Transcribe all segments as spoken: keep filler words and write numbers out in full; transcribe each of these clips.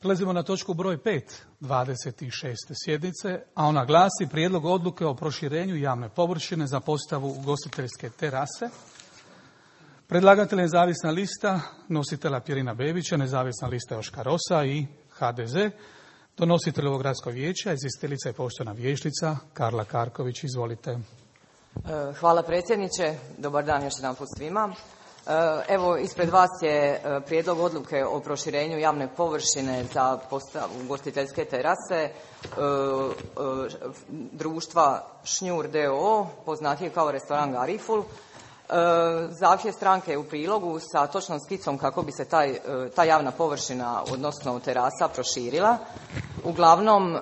Prelazimo na točku broj pet, dvadeset šeste sjednice, a ona glasi prijedlog odluke o proširenju javne površine za postavu ugostiteljske terase. Predlagatelj je nezavisna lista nositelja Pirina Bebića, nezavisna lista Joška Rosa i ha de ze. Donositelj ovog gradskog vijeća, izvjestiteljica je poštovana vijećnica Karla Karković. Izvolite. Hvala predsjedniče. Dobar dan još jedanput svima. Evo, ispred vas je prijedlog odluke o proširenju javne površine za postavu ugostiteljske terase društva Šnjur d o o, poznatije kao restoran Gariful. Zahtjev stranke je u prilogu sa točnom skicom kako bi se taj, ta javna površina, odnosno terasa, proširila. Uglavnom,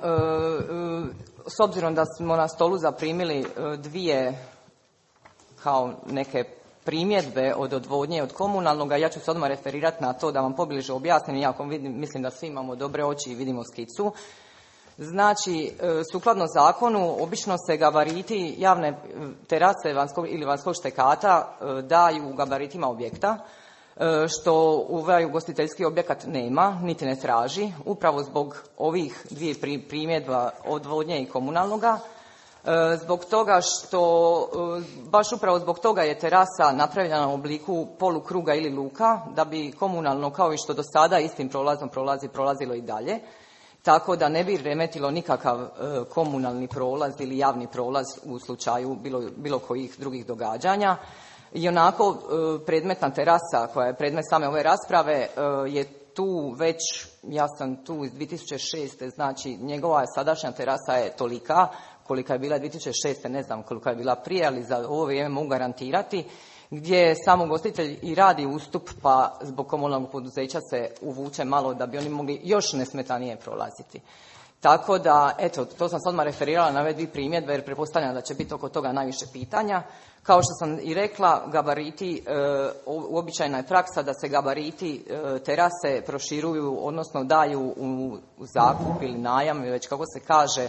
s obzirom da smo na stolu zaprimili dvije kao neke primjedbe od odvodnje i od komunalnog, ja ću se odmah referirati na to da vam pobliže objasnim, iako vidim, mislim da svi imamo dobre oči i vidimo skicu. Znači, sukladno zakonu, obično se gabariti javne terase vanjskog ili vanjskog štekata daju u gabaritima objekta, što ovaj ugostiteljski objekat nema, niti ne traži, upravo zbog ovih dvije primjedba odvodnje i komunalnoga. Zbog toga što, baš upravo zbog toga je terasa napravljena u obliku polukruga ili luka, da bi komunalno, kao i što do sada istim prolazom prolazi, prolazilo i dalje, tako da ne bi remetilo nikakav komunalni prolaz ili javni prolaz u slučaju bilo, bilo kojih drugih događanja. I onako predmetna terasa koja je predmet same ove rasprave je tu već, ja sam tu iz dvije tisuće šeste, znači njegova sadašnja terasa je tolika kolika je bila dvije tisuće šeste, ne znam koliko je bila prije, ali za ovo vrijeme mogu garantirati, gdje sam ugostitelj i radi ustup, pa zbog komunalnog poduzeća se uvuče malo da bi oni mogli još nesmetanije prolaziti. Tako da, eto, to sam se odmah referirala na ove dvije primjedbe, jer pretpostavljam da će biti oko toga najviše pitanja. Kao što sam i rekla, gabariti, e, uobičajena je praksa da se gabariti e, terase proširuju, odnosno daju u, u zakup ili najam, već kako se kaže,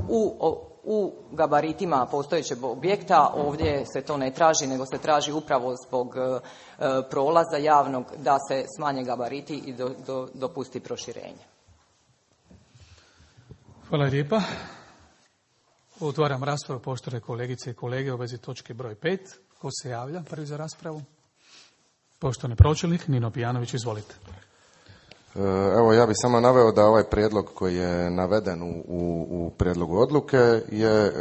u, u gabaritima postojećeg objekta. Ovdje se to ne traži, nego se traži upravo zbog e, prolaza javnog da se smanje gabariti i do, do, dopusti proširenje. Hvala lijepa. Otvaram raspravu, poštovane kolegice i kolege, u vezi točke broj pet. Ko se javlja prvi za raspravu? Poštovani pročelnik Nino Pijanović, izvolite. Evo, ja bih samo naveo da ovaj prijedlog koji je naveden u, u, u prijedlogu odluke je e,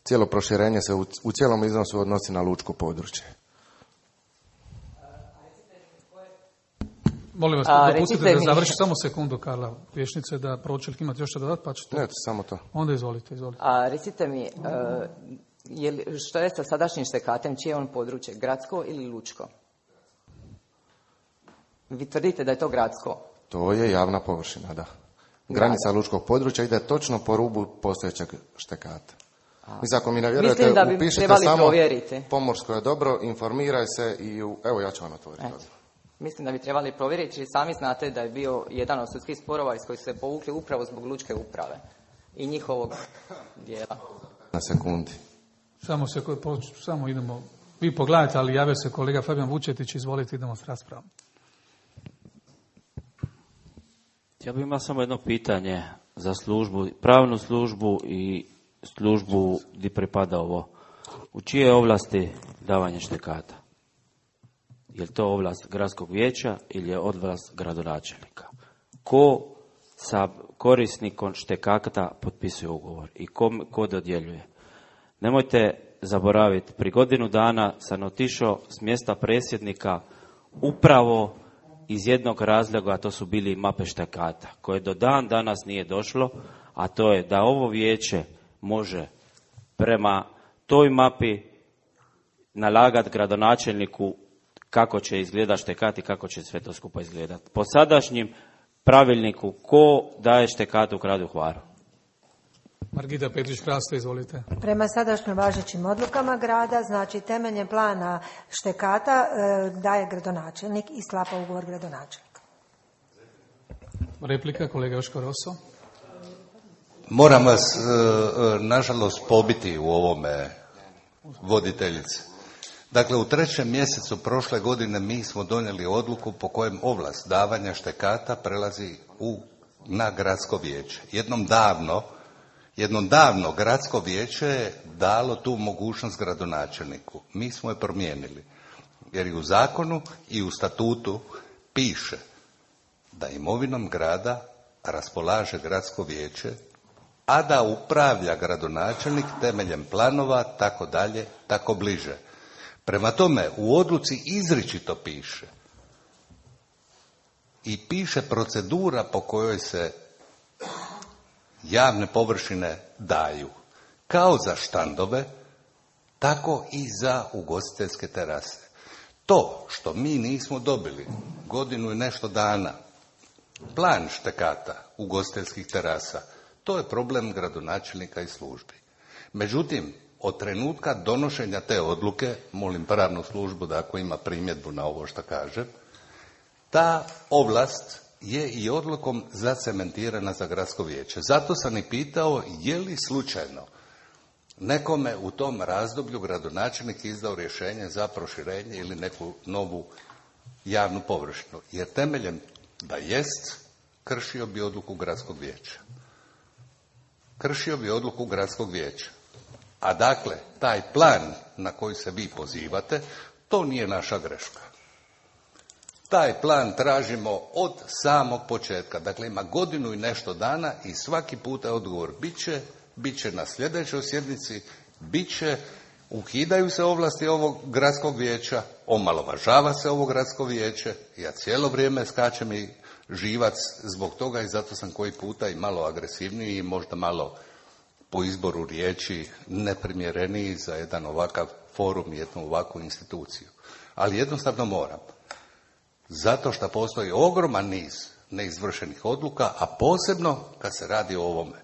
cijelo proširenje se u, u cijelom iznosu odnosi na lučko područje. Molim vas, A, dopustite da završi samo sekundu, Karla, vješnice, da pročelnik imate još što dodati, pa ćete... Ne, samo to. Onda izvolite, izvolite. A recite mi, uh, je li, što je sa sadašnjim štekatem, čije je on područje, gradsko ili lučko? Vi tvrdite da je to gradsko? To je javna površina, da. Granica da. lučkog područja ide točno po rubu postojećeg štekata. Mislim, ako mi ne vjerujete, upišite samo provjeriti. Pomorsko je dobro, informiraj se i u... Evo, ja ću vam otvoriti. Mislim da bi trebali provjeriti, jer sami znate da je bio jedan od sudskih sporova iz kojih se povukli upravo zbog lučke uprave i njihovog dijela. Na sekundi. Samo, se, samo idemo, vi pogledajte, ali javio se kolega Fabijan Vučetić, izvolite, idemo s raspravom. Ja bih imao samo jedno pitanje za službu, pravnu službu i službu gdje pripada ovo. U čije ovlasti davanje štekata? Je li to ovlast gradskog vijeća ili je ovlast gradonačelnika? Ko sa korisnikom štekata potpisuje ugovor i ko, ko dodjeljuje? Nemojte zaboraviti, pri godinu dana sam otišao s mjesta predsjednika upravo iz jednog razloga, a to su bili mape štekata, koje do dan danas nije došlo, a to je da ovo vijeće može prema toj mapi nalagati gradonačelniku kako će izgledati štekat i kako će sve to skupa izgledati. Po sadašnjim pravilniku, ko daje štekat u gradu Hvaru? Margita Petrić-Krasto, izvolite. Prema sadašnjim važećim odlukama grada, znači temeljem plana štekata daje gradonačelnik i sklapa ugovor gradonačelnika. Replika, kolega Joško Roso. Moram vas, nažalost, pobiti u ovome, voditeljice. Dakle, u trećem mjesecu prošle godine mi smo donijeli odluku po kojem ovlast davanja štekata prelazi u, na gradsko vijeće. Jednom davno, jednom davno gradsko vijeće je dalo tu mogućnost gradonačelniku. Mi smo je promijenili. Jer i u zakonu i u statutu piše da imovinom grada raspolaže gradsko vijeće, a da upravlja gradonačelnik temeljem planova, tako dalje, tako bliže. Prema tome, u odluci izričito piše i piše procedura po kojoj se javne površine daju, kao za štandove, tako i za ugostiteljske terase. To što mi nismo dobili godinu i nešto dana plan štekata ugostiteljskih terasa, to je problem gradonačelnika i službi. Međutim, od trenutka donošenja te odluke, molim pravnu službu da ako ima primjedbu na ovo što kažem, ta ovlast je i odlukom zacementirana za gradsko vijeće. Zato sam i pitao je li slučajno nekome u tom razdoblju gradonačelnik izdao rješenje za proširenje ili neku novu javnu površinu. Jer temeljem da jest, kršio bi odluku gradskog vijeća. Kršio bi odluku gradskog vijeća. A dakle, taj plan na koji se vi pozivate, to nije naša greška. Taj plan tražimo od samog početka. Dakle, ima godinu i nešto dana i svaki puta je odgovor bit će, bit će na sljedećoj sjednici, bit će, ukidaju se ovlasti ovog gradskog vijeća, omalovažava se ovo gradsko vijeće. Ja cijelo vrijeme skačem i živac zbog toga i zato sam koji puta i malo agresivniji i možda malo po izboru riječi neprimjereniji za jedan ovakav forum i jednu ovakvu instituciju. Ali jednostavno moram. Zato što postoji ogroman niz neizvršenih odluka, a posebno kad se radi o ovome.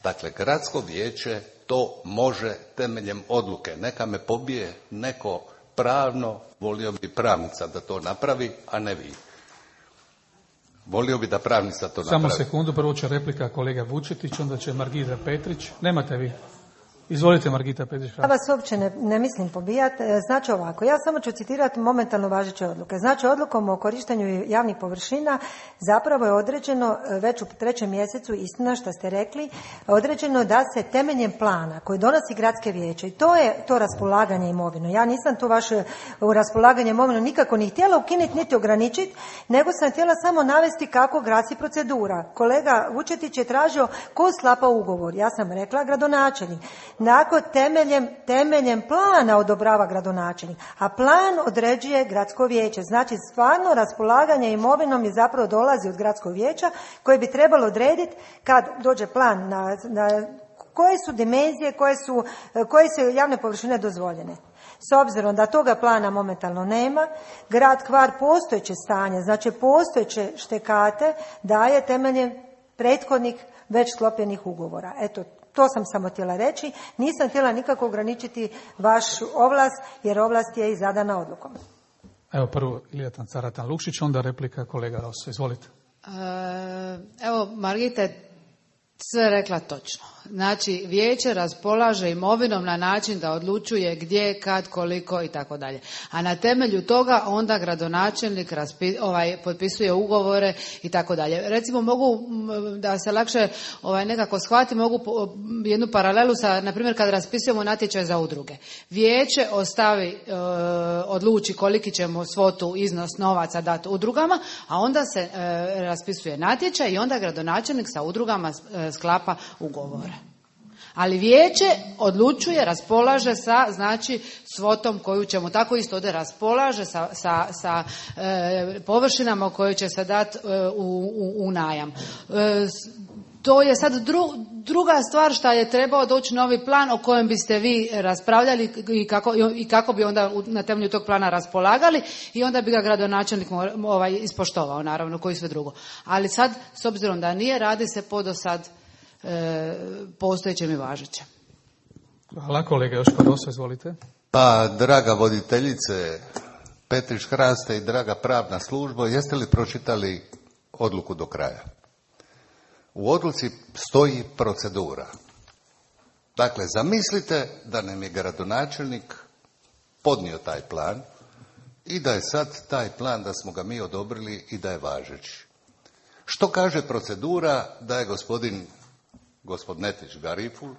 Dakle, gradsko vijeće to može temeljem odluke. Neka me pobije neko pravno, volio bi pravnica da to napravi, a ne vi. Volio bi da pravnica to napravi. Samo sekundu, prvo će replika kolega Vučetić, onda će Margita Petrić. Nemate vi. Izvolite, Margita Petrić. Ja vas uopće ne, ne mislim pobijati. Znači ovako, ja samo ću citirati momentalno važeće odluke. Znači, odlukom o korištenju javnih površina zapravo je određeno već u trećem mjesecu, istina što ste rekli, određeno da se temeljem plana koji donosi gradske vijeće, i to je to raspolaganje imovinom. Ja nisam tu vaše raspolaganje imovinom nikako ni htjela ukinuti niti ograničiti, nego sam htjela samo navesti kako glasi procedura. Kolega Vučetić je tražio ko sklapa ugovor. Ja sam rekla gradonačelnik. Nakon temeljem, temeljem plana odobrava gradonačelnik, a plan određuje gradsko vijeće. Znači, stvarno raspolaganje imovinom je zapravo dolazi od gradskog vijeća koje bi trebalo odrediti kad dođe plan na, na koje su dimenzije, koje su, koje su javne površine dozvoljene. S obzirom da toga plana momentalno nema, grad Hvar postojeće stanje, znači postojeće štekate daje temeljem prethodnih već sklopljenih ugovora. Eto, to sam samo htjela reći. Nisam htjela nikako ograničiti vaš ovlast, jer ovlast je i zadana odlukom. Evo prvo Ilijatan Caratan Lukšić, onda replika kolega Rosso. Izvolite. E, evo, Margita je sve rekla točno. Znači, vijeće raspolaže imovinom na način da odlučuje gdje, kad, koliko i tako dalje. A na temelju toga onda gradonačelnik raspi, ovaj, potpisuje ugovore i tako dalje. Recimo, mogu da se lakše ovaj, nekako shvati, mogu jednu paralelu sa, na primjer, kad raspisujemo natječaj za udruge. Vijeće ostavi, e, odluči koliki ćemo svotu, iznos novaca dati udrugama, a onda se e, raspisuje natječaj i onda gradonačelnik sa udrugama e, sklapa ugovore. Ali vijeće odlučuje, raspolaže sa, znači, svotom koju ćemo, tako isto ovdje raspolaže sa, sa, sa e, površinama koje će se dati e, u, u, u najam. E, to je sad dru, druga stvar što je trebao doći novi plan o kojem biste vi raspravljali i kako, i kako bi onda na temelju tog plana raspolagali i onda bi ga gradonačelnik ovaj, ispoštovao, naravno, koji sve drugo. Ali sad, s obzirom da nije, radi se po do sad postojećem i važećem. Hvala, kolega Joško Rosso, izvolite. Pa, draga voditeljice Petrić Hraste i draga pravna služba, jeste li pročitali odluku do kraja? U odluci stoji procedura. Dakle, zamislite da nam je gradonačelnik podnio taj plan i da je sad taj plan, da smo ga mi odobrili i da je važeći. Što kaže procedura da je gospodin Gospodnetić Gariful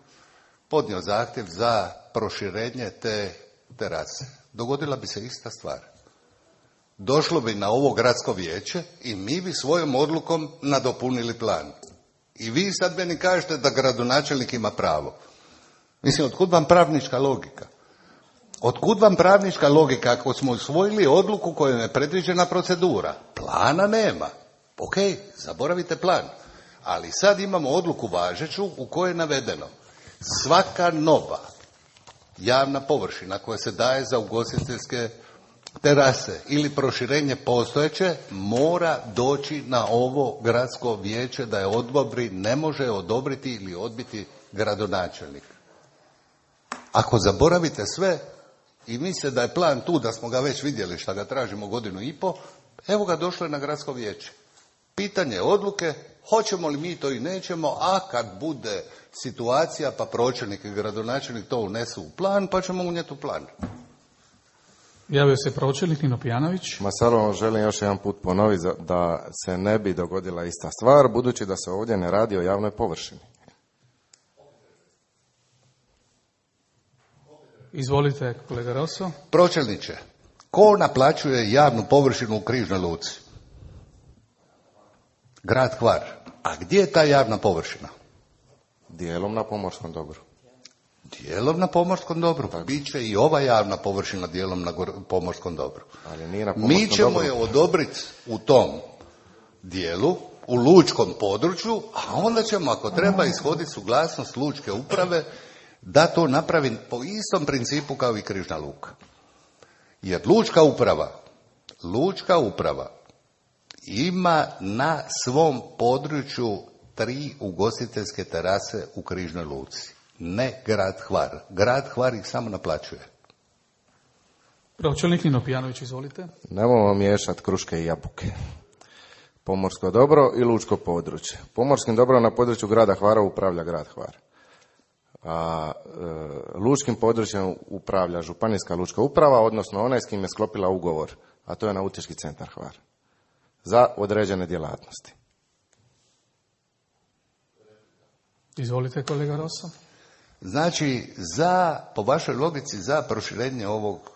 podnio zahtjev za proširenje te terase? Dogodila bi se ista stvar. Došlo bi na ovo gradsko vijeće i mi bi svojom odlukom nadopunili plan. I vi sad meni kažete da gradonačelnik ima pravo. Mislim, otkud vam pravnička logika? Otkud vam pravnička logika ako smo usvojili odluku kojom je predviđena procedura? Plana nema. Ok, zaboravite plan. Ali sad imamo odluku važeću u kojoj je navedeno svaka nova javna površina koja se daje za ugostiteljske terase ili proširenje postojeće mora doći na ovo gradsko vijeće da je odobri, ne može odobriti ili odbiti gradonačelnik. Ako zaboravite sve i mislite da je plan tu, da smo ga već vidjeli šta ga tražimo godinu i po, evo ga, došlo je na gradsko vijeće. Pitanje odluke, hoćemo li mi to i nećemo, a kad bude situacija pa pročelnik i gradonačelnik to unesu u plan, pa ćemo unijeti u plan. Javio se pročelnik Nino Pijanović. Ma samo želim još jedan put ponoviti da se ne bi dogodila ista stvar, budući da se ovdje ne radi o javnoj površini. Izvolite, kolega Rosso. Pročelniče, ko naplaćuje javnu površinu u Križnoj luci? Grad Hvar. A gdje je ta javna površina? Dijelom na pomorskom dobru. Dijelom na pomorskom dobru. Biće i ova javna površina dijelom na pomorskom dobru. Ali nije na pomorskom Mi ćemo dobru. je odobriti u tom dijelu, u lučkom području, a onda ćemo, ako treba, ishoditi suglasnost lučke uprave da to napravi po istom principu kao i Križna luka. Jer lučka uprava, lučka uprava ima na svom području tri ugostiteljske terase u Križnoj luci. Ne grad Hvar. Grad Hvar ih samo naplaćuje. Pročelnik Nino Pijanović, izvolite. Nemojmo miješati kruške i jabuke. Pomorsko dobro i lučko područje. Pomorskim dobrom na području grada Hvara upravlja grad Hvar. A e, lučkim područjem upravlja županijska lučka uprava, odnosno onaj s kim je sklopila ugovor, a to je Nautički centar Hvar. Za određene djelatnosti. Izvolite, kolega Rosso. Znači, za, po vašoj logici, za proširenje ovog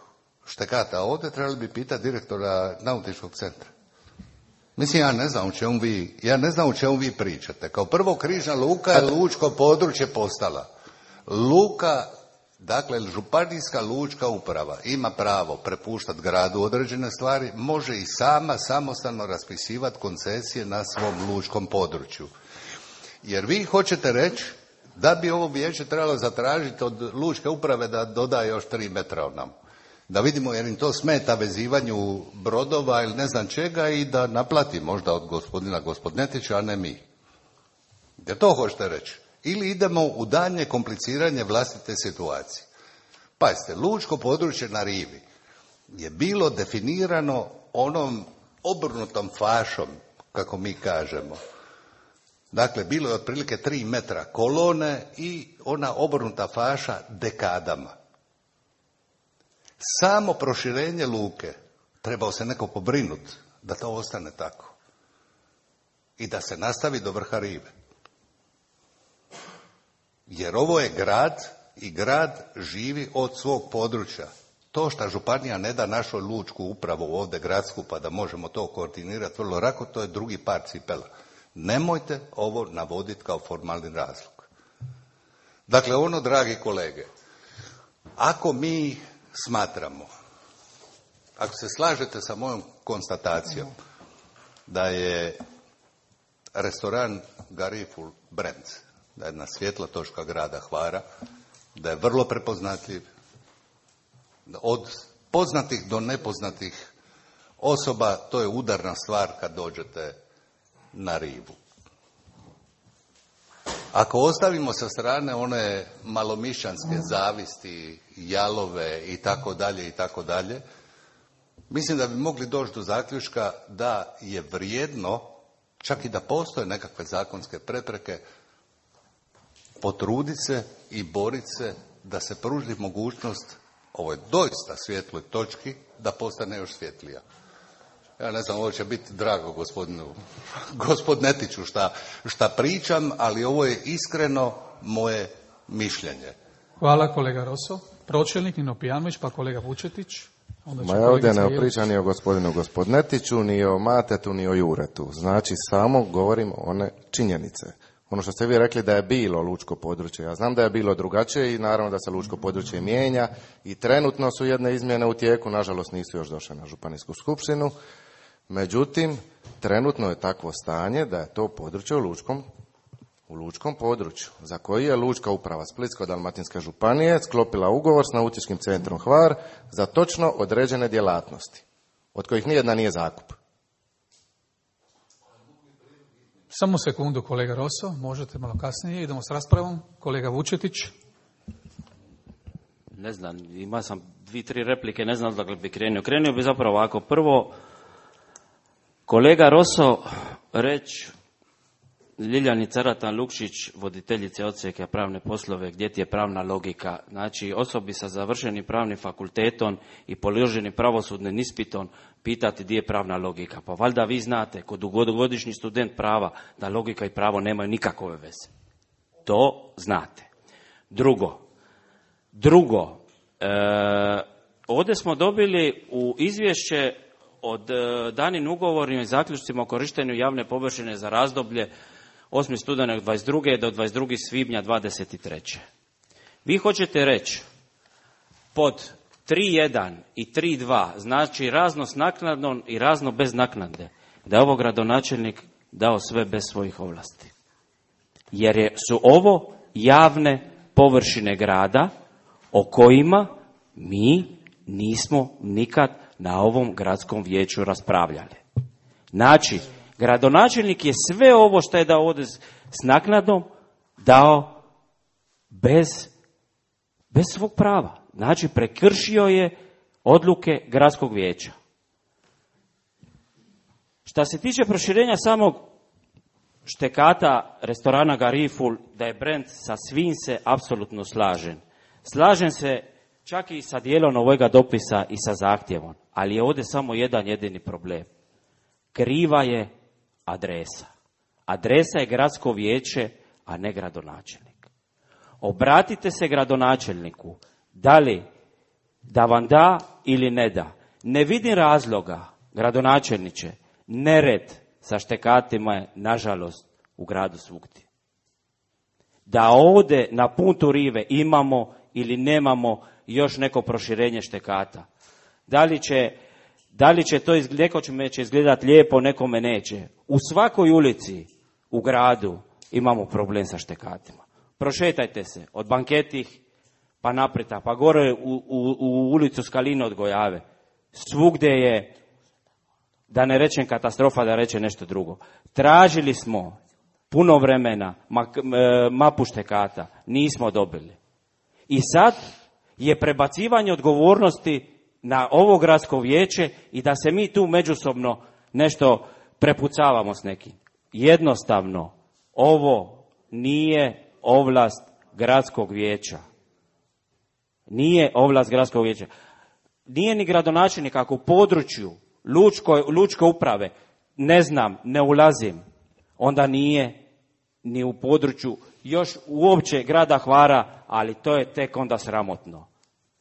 štekata ovdje trebali bi pitati direktora Nautičkog centra. Mislim, ja ne znam u čemu vi, ja ne znam u čemu vi pričate. Kao prvo, Križna luka je lučko područje postala. Luka, dakle, županijska lučka uprava ima pravo prepuštati gradu određene stvari, može i sama samostalno raspisivati koncesije na svom lučkom području. Jer vi hoćete reći da bi ovo vijeće trebalo zatražiti od lučke uprave da doda još tri metra nam. Da vidimo jer im to smeta vezivanju brodova ili ne znam čega i da naplati možda od gospodina Gospodnetića, a ne mi. Jer to hoćete reći. Ili idemo u daljnje kompliciranje vlastite situacije. Pazite, lučko područje na rivi je bilo definirano onom obrnutom fašom, kako mi kažemo. Dakle, bilo je otprilike tri metra kolone i ona obrnuta faša dekadama. Samo proširenje luke trebao se neko pobrinuti da to ostane tako. I da se nastavi do vrha rive. Jer ovo je grad i grad živi od svog područja. To što županija ne da našoj lučku upravu ovdje gradsku pa da možemo to koordinirati vrlo lako, to je drugi par cipela. Nemojte ovo navoditi kao formalni razlog. Dakle, ono, dragi kolege, ako mi smatramo, ako se slažete sa mojom konstatacijom da je restoran Gariful brand, da je jedna svjetla točka grada Hvara, da je vrlo prepoznatljiv, od poznatih do nepoznatih osoba, to je udarna stvar kad dođete na rivu. Ako ostavimo sa strane one malomišćanske zavisti, jalove i tako dalje i tako dalje, mislim da bi mogli doći do zaključka da je vrijedno, čak i da postoje nekakve zakonske prepreke, potruditi se i boriti se da se pruži mogućnost ovoj doista svjetloj točki da postane još svjetlija. Ja ne znam, ovo će biti drago gospodinu gospodnetiću šta, šta pričam, ali ovo je iskreno moje mišljenje. Hvala kolega Roso. Pročelnik Nino Pijanović, pa kolega Vučetić. Ma ja ovdje ne pričam ni o gospodinu gospodnetiću, ni o Matetu, ni o Juretu. Znači, samo govorim one činjenice. Ono što ste vi rekli da je bilo lučko područje, ja znam da je bilo drugačije i naravno da se lučko područje mijenja i trenutno su jedne izmjene u tijeku, nažalost nisu još došle na županijsku skupštinu. Međutim, trenutno je takvo stanje da je to područje u lučkom, u lučkom području, za koji je Lučka uprava Splitsko-dalmatinske županije sklopila ugovor s Nautičkim centrom Hvar za točno određene djelatnosti, od kojih nijedna nije zakup. Samo sekundu, kolega Roso, možete malo kasnije, idemo s raspravom. Kolega Vučetić. Ne znam, ima sam dvi, tri replike, ne znam dakle bi krenio. Krenio bi zapravo ovako. Prvo, kolega Roso, reći Ljiljani Caratan Lukšić, voditeljice odsjeka pravne poslove, gdje ti je pravna logika? Znači, osobi sa završenim pravnim fakultetom i položenim pravosudnim ispitom pitati gdje je pravna logika. Pa valjda vi znate, kod dugogodišnji student prava, da logika i pravo nemaju nikakve veze. To znate. Drugo, drugo, e, ovdje smo dobili u izvješće od e, danim ugovorima i zaključcima o korištenju javne površine za razdoblje osmi studenog dvadeset druge do dvadeset drugog svibnja dvadeset treće. Vi hoćete reći pod tri jedan i tri dva, znači razno s naknadom i razno bez naknade, da je ovo gradonačelnik dao sve bez svojih ovlasti. Jer je, su ovo javne površine grada o kojima mi nismo nikad na ovom gradskom vijeću raspravljali. Znači, gradonačelnik je sve ovo što je dao ovdje s naknadom dao bez, bez svog prava. Znači, prekršio je odluke gradskog vijeća. Šta se tiče proširenja samog štekata restorana Gariful, da je brend, sa svim se apsolutno slažem. Slažem se čak i sa dijelom ovoga dopisa i sa zahtjevom, ali je ovdje samo jedan jedini problem. Kriva je adresa. Adresa je gradsko vijeće, a ne gradonačelnik. Obratite se gradonačelniku, da li da vam da ili ne da. Ne vidim razloga, gradonačelniče, nered sa štekatima je, nažalost, u gradu svugdje. Da ovdje na puntu rive imamo ili nemamo još neko proširenje štekata. Da li će, da li će to izgled, nekome će izgledati lijepo, nekome neće. U svakoj ulici u gradu imamo problem sa štekatima. Prošetajte se od Banketih pa napreta, pa gore u, u, u ulicu Skaline od Gojave. Svugdje je, da ne rečem katastrofa, da rečem nešto drugo. Tražili smo puno vremena mapu štekata, nismo dobili. I sad je prebacivanje odgovornosti na ovo gradsko vijeće i da se mi tu međusobno nešto prepucavamo s nekim. Jednostavno, ovo nije ovlast gradskog vijeća. Nije ovlast gradskog vijeća. Nije ni gradonačelnik ako u području Lučko, Lučke uprave, ne znam, ne ulazim, onda nije ni u području još uopće grada Hvara, ali to je tek onda sramotno.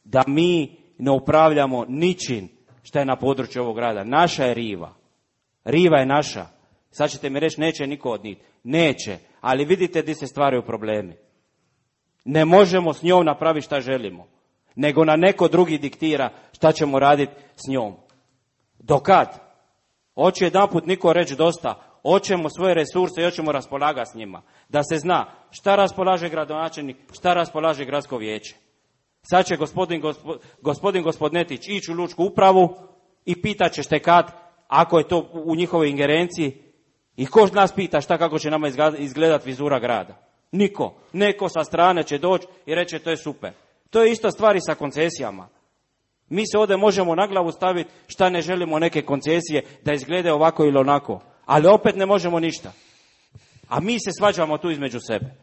Da mi ne upravljamo ničim što je na području ovog grada. Naša je riva. Riva je naša. Sad ćete mi reći, neće niko od njih. Neće, ali vidite gdje se stvaraju problemi. Ne možemo s njom napraviti šta želimo, nego na neko drugi diktira šta ćemo raditi s njom. Dokad? Hoće jedanput niko reći dosta, hoćemo svoje resurse i hoćemo raspolagati s njima. Da se zna šta raspolaže gradonačelnik, šta raspolaže gradsko vijeće. Sad će gospodin, gospo, gospodin Gospodnetić ići u Lučku upravu i pitat će štekat ako je to u njihovoj ingerenciji. I ko nas pita šta kako će nama izgledati vizura grada? Niko. Neko sa strane će doći i reći to je super. To je isto stvari sa koncesijama. Mi se ovdje možemo na glavu staviti šta ne želimo neke koncesije da izglede ovako ili onako. Ali opet ne možemo ništa. A mi se svađamo tu između sebe.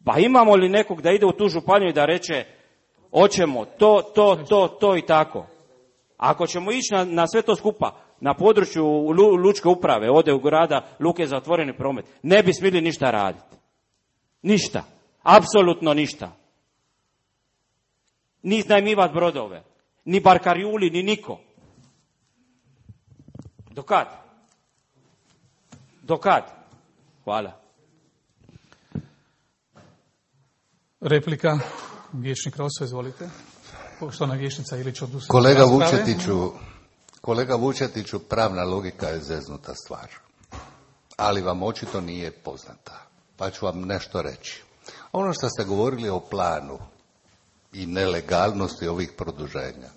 Pa imamo li nekog da ide u tu županiju i da reče Hoćemo to, to, to, to i tako. Ako ćemo ići na, na sve to skupa, na području lu, lučke uprave, ode u grada luke za otvoreni promet, ne bi smjeli ništa raditi. Ništa. Apsolutno ništa. Ni iznajmivati brodove. Ni barkarjuli, ni niko. Do kad? Do kad? Hvala. Replika, vijećnik Roso, izvolite. Poštovana vijećnica Ilić odustala. Kolega Vučetiću, kolega Vučetiću, pravna logika je zeznuta stvar. Ali vam očito nije poznata. Pa ću vam nešto reći. Ono što ste govorili o planu i nelegalnosti ovih produženja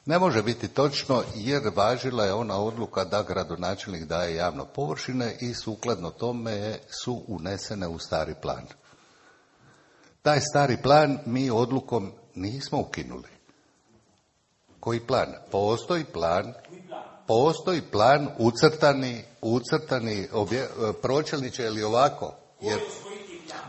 ne može biti točno, jer važila je ona odluka da gradonačelnik daje javno površine i sukladno tome su unesene u stari plan. Taj stari plan mi odlukom nismo ukinuli. Koji plan? Postoji plan, postoji plan ucrtani, ucrtani obje, pročelniče ili ovako. Jer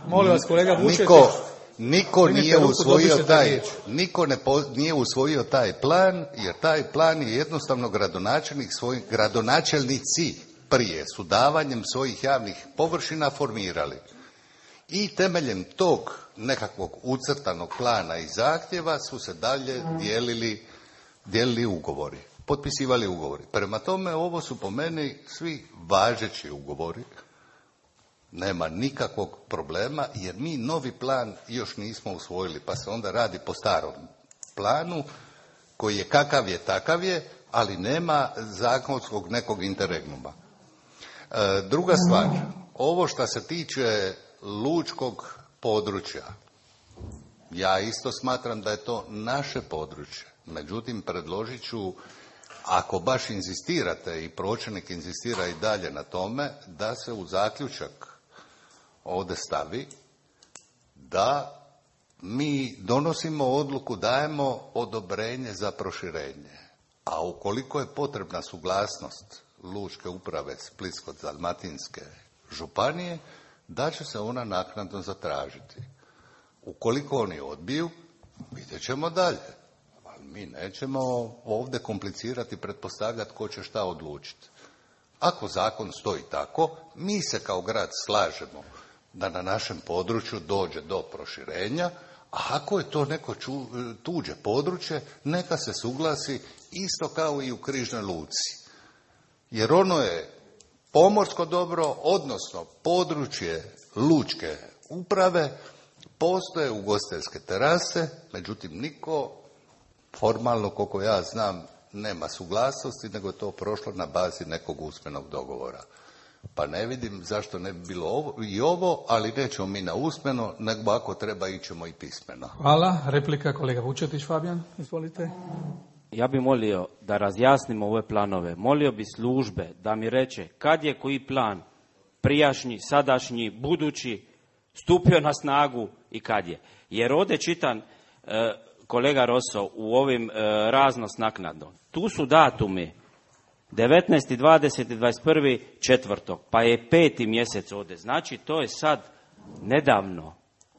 molim vas, kolega Vučetić. Niko, niko nije usvojio taj, niko ne po, nije usvojio taj plan, jer taj plan je jednostavno gradonačelnik svoj, gradonačelnici prije su davanjem svojih javnih površina formirali. I temeljem tog nekakvog ucrtanog plana i zahtjeva su se dalje dijelili, dijelili ugovori, potpisivali ugovori. Prema tome, ovo su po meni svi važeći ugovori. Nema nikakvog problema, jer mi novi plan još nismo usvojili, pa se onda radi po starom planu, koji je kakav je, takav je, ali nema zakonskog nekog interregnuma. E, druga stvar, ovo što se tiče lučkog područja, ja isto smatram da je to naše područje. Međutim, predložit ću, ako baš inzistirate i pročelnik inzistira i dalje na tome, da se u zaključak ovdje stavi da mi donosimo odluku, dajemo odobrenje za proširenje. A ukoliko je potrebna suglasnost lučke uprave Splitsko-dalmatinske županije, da će se ona naknadno zatražiti. Ukoliko oni odbiju, vidjet ćemo dalje. Ali mi nećemo ovdje komplicirati, pretpostavljati ko će šta odlučiti. Ako zakon stoji tako, mi se kao grad slažemo da na našem području dođe do proširenja, a ako je to neko ču, tuđe područje, neka se suglasi isto kao i u Križnoj luci. Jer ono je pomorsko dobro, odnosno područje lučke uprave, postoje ugostiteljske terase, međutim niko formalno, koliko ja znam, nema suglasnosti, nego je to prošlo na bazi nekog usmenog dogovora. Pa ne vidim zašto ne bi bilo ovo, i ovo, ali nećemo mi na usmeno, nego ako treba ićemo i pismeno. Hvala. Replika kolega Vučetić, Fabijan, izvolite. Ja bih molio da razjasnimo ove planove. Molio bi službe da mi reče kad je koji plan, prijašnji, sadašnji, budući, stupio na snagu i kad je. Jer ovdje čitam, e, kolega Roso, u ovim e, raznos naknadno. Tu su datumi devetnaesti, dvadeseti, dvadeset prvi, četvrtog, pa je peti mjesec ovdje. Znači, to je sad nedavno.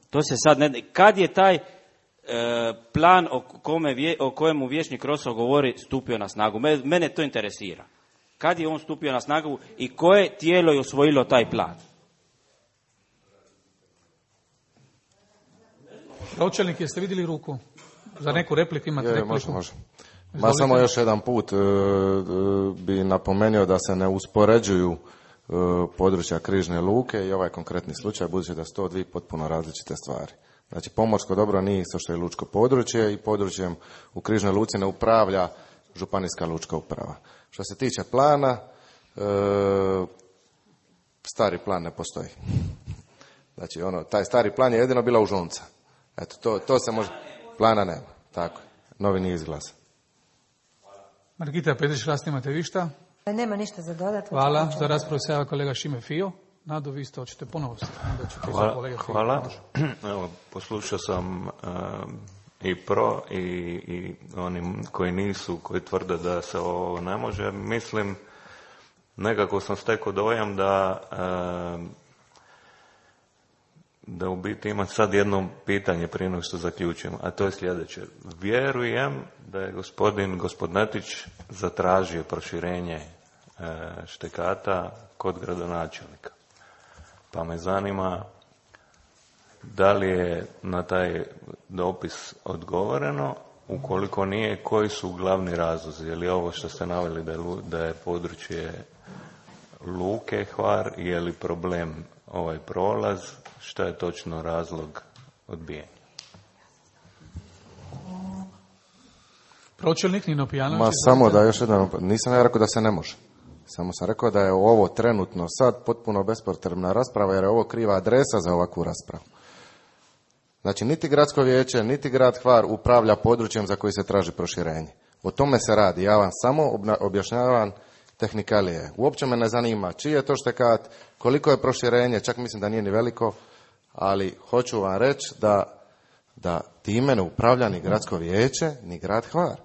To se sad ne... Kad je taj e, plan o, kome vje, o kojemu vijećnik Roso govori stupio na snagu? Me, mene to interesira. Kad je on stupio na snagu i koje tijelo je usvojilo taj plan? Pročelnik, jeste vidjeli ruku? Za neku repliku imate je, repliku? Može, može. Ma samo još jedan put e, bi napomenuo da se ne uspoređuju e, područja Križne luke i ovaj konkretni slučaj, budući da su to dvije potpuno različite stvari. Znači, pomorsko dobro nije isto što je lučko područje i područjem u Križnoj luci ne upravlja županijska lučka uprava. Što se tiče plana, e, stari plan ne postoji. Znači, ono, taj stari plan je jedino bila užonca. Eto, to, to se može... Plana nema, tako. Novi nije izglasan. Margita Petrić-Rast, imate vi šta? Nema ništa za dodati. Hvala. Za raspravu se javlja kolega Šime Fio. Nado, vi ste hoćete ponovo se. Hvala. Hvala. Evo, poslušao sam uh, i pro i, i onim koji nisu, koji tvrde da se ovo ne može. Mislim, nekako sam stekao dojam da uh, da u biti imam sad jedno pitanje prije nego što zaključim, a to je sljedeće. Vjerujem da je gospodin Gospodnetić zatražio proširenje e, štekata kod gradonačelnika. Pa me zanima da li je na taj dopis odgovoreno, ukoliko nije, koji su glavni razlozi? Je li ovo što ste naveli da je, da je područje luke Hvar, je li problem ovaj prolaz, šta je točno razlog odbijanja? Pročelnik Nino Pijanović. Ma samo da još jedan, nisam ja rekao da se ne može. Samo sam rekao da je ovo trenutno sad potpuno bespotrebna rasprava, jer je ovo kriva adresa za ovakvu raspravu. Znači, niti gradsko vijeće, niti grad Hvar upravlja područjem za koji se traži proširenje. O tome se radi. Ja vam samo objašnjavam tehnikalije. Uopće me ne zanima čiji je to štekat, koliko je proširenje, čak mislim da nije ni veliko, ali hoću vam reći da, da time ne upravlja ni gradsko vijeće, ni grad Hvar.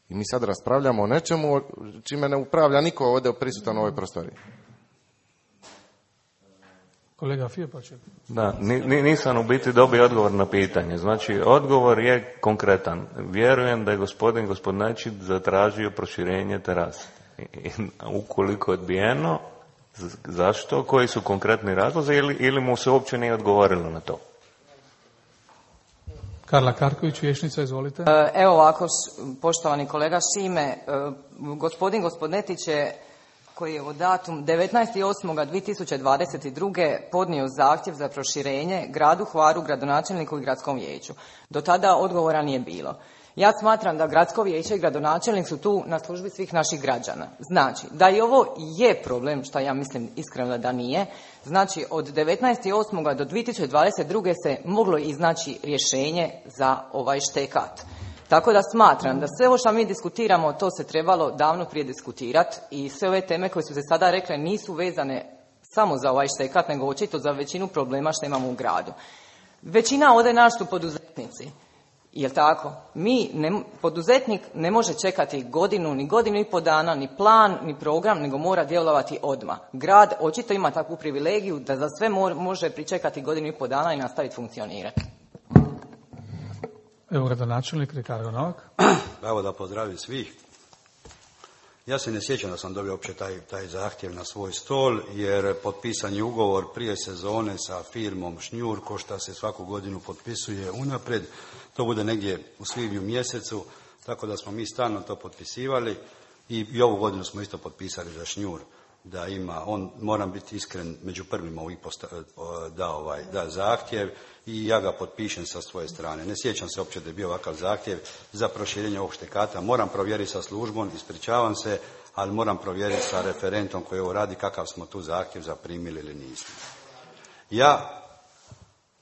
I mi sad raspravljamo o nečemu čime ne upravlja niko ovdje prisutan u ovoj prostoriji. Kolega Fijepaček. Da, nisam u biti dobio odgovor na pitanje. Znači, odgovor je konkretan. Vjerujem da je gospodin Gospodnetić zatražio proširenje terase. I, ukoliko je odbijeno, zašto? Koji su konkretni razlozi ili, ili mu se uopće nije odgovorilo na to? Karla Karković, vijećnica, izvolite. Evo ovako, poštovani kolega Šime, gospodin Gospodnetić je, koji je u datum devetnaesti osmi dvije tisuće dvadeset druge podnio zahtjev za proširenje gradu Hvaru, gradonačelniku i gradskom vijeću. Do tada odgovora nije bilo. Ja smatram da gradsko vijeće i gradonačelnik su tu na službi svih naših građana. Znači, da i ovo je problem, što ja mislim iskreno da nije, znači od devetnaesti osmi do dvije tisuće dvadeset druge se moglo iznaći rješenje za ovaj štekat. Tako da smatram da sve ovo što mi diskutiramo, to se trebalo davno prije diskutirati i sve ove teme koje su se sada rekle nisu vezane samo za ovaj štekat, nego očito za većinu problema što imamo u gradu. Većina ovdje naš su poduzetnici. Jel tako? Mi, ne, poduzetnik ne može čekati godinu, ni godinu i pol dana, ni plan, ni program, nego mora djelovati odmah. Grad očito ima takvu privilegiju da za sve mo- može pričekati godinu i pol dana i nastaviti funkcionirati. Evo gradonačelnik Ricardo Novak. Evo da pozdravim svih. Ja se ne sjećam da sam dobio uopće taj, taj zahtjev na svoj stol, jer potpisan je ugovor prije sezone sa firmom Šnjur, ko šta se svaku godinu potpisuje unaprijed. To bude negdje u svibnju mjesecu, tako da smo mi stalno to potpisivali i, i ovu godinu smo isto potpisali za Šnjur. Da ima, on, moram biti iskren, među prvima ovih posta, da, ovaj, da zahtjev i ja ga potpišem sa svoje strane. Ne sjećam se uopće da je bio ovakav zahtjev za proširenje ovog štekata. Moram provjeriti sa službom, ispričavam se, ali moram provjeriti sa referentom koji ovo radi kakav smo tu zahtjev zaprimili ili nismo. Ja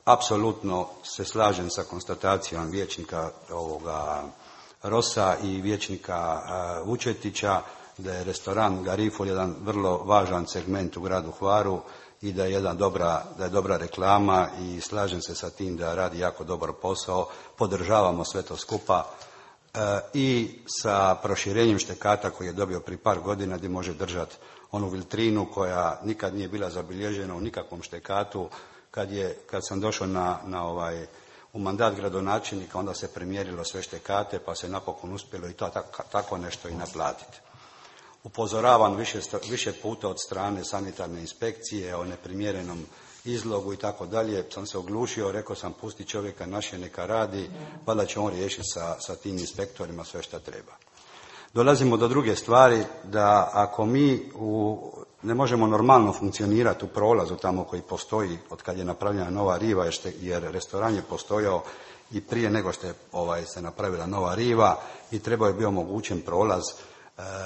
apsolutno se slažem sa konstatacijom vijećnika ovoga Rosa i vijećnika uh, Vučetića da je restoran Garifol jedan vrlo važan segment u gradu Hvaru i da je jedna dobra, da je dobra reklama i slažem se sa tim da radi jako dobar posao, podržavamo sve to skupa e, i sa proširenjem štekata koji je dobio pri par godina gdje može držati onu vitrinu koja nikad nije bila zabilježena u nikakvom štekatu. Kad, je, kad sam došao na, na ovaj, u mandat gradonačelnika, onda se premjerilo sve štekate pa se napokon uspjelo i to tako, tako nešto i naplatiti. Upozoravan više, više puta od strane sanitarne inspekcije o neprimjerenom izlogu i tako dalje, sam se oglušio, rekao sam pusti čovjeka naše neka radi, pa da će on riješiti sa, sa tim inspektorima sve što treba. Dolazimo do druge stvari, da ako mi u, ne možemo normalno funkcionirati u prolazu tamo koji postoji od kad je napravljena nova riva, jer restoran je postojao i prije nego što je ovaj, se napravila nova riva i trebao je bio omogućen prolaz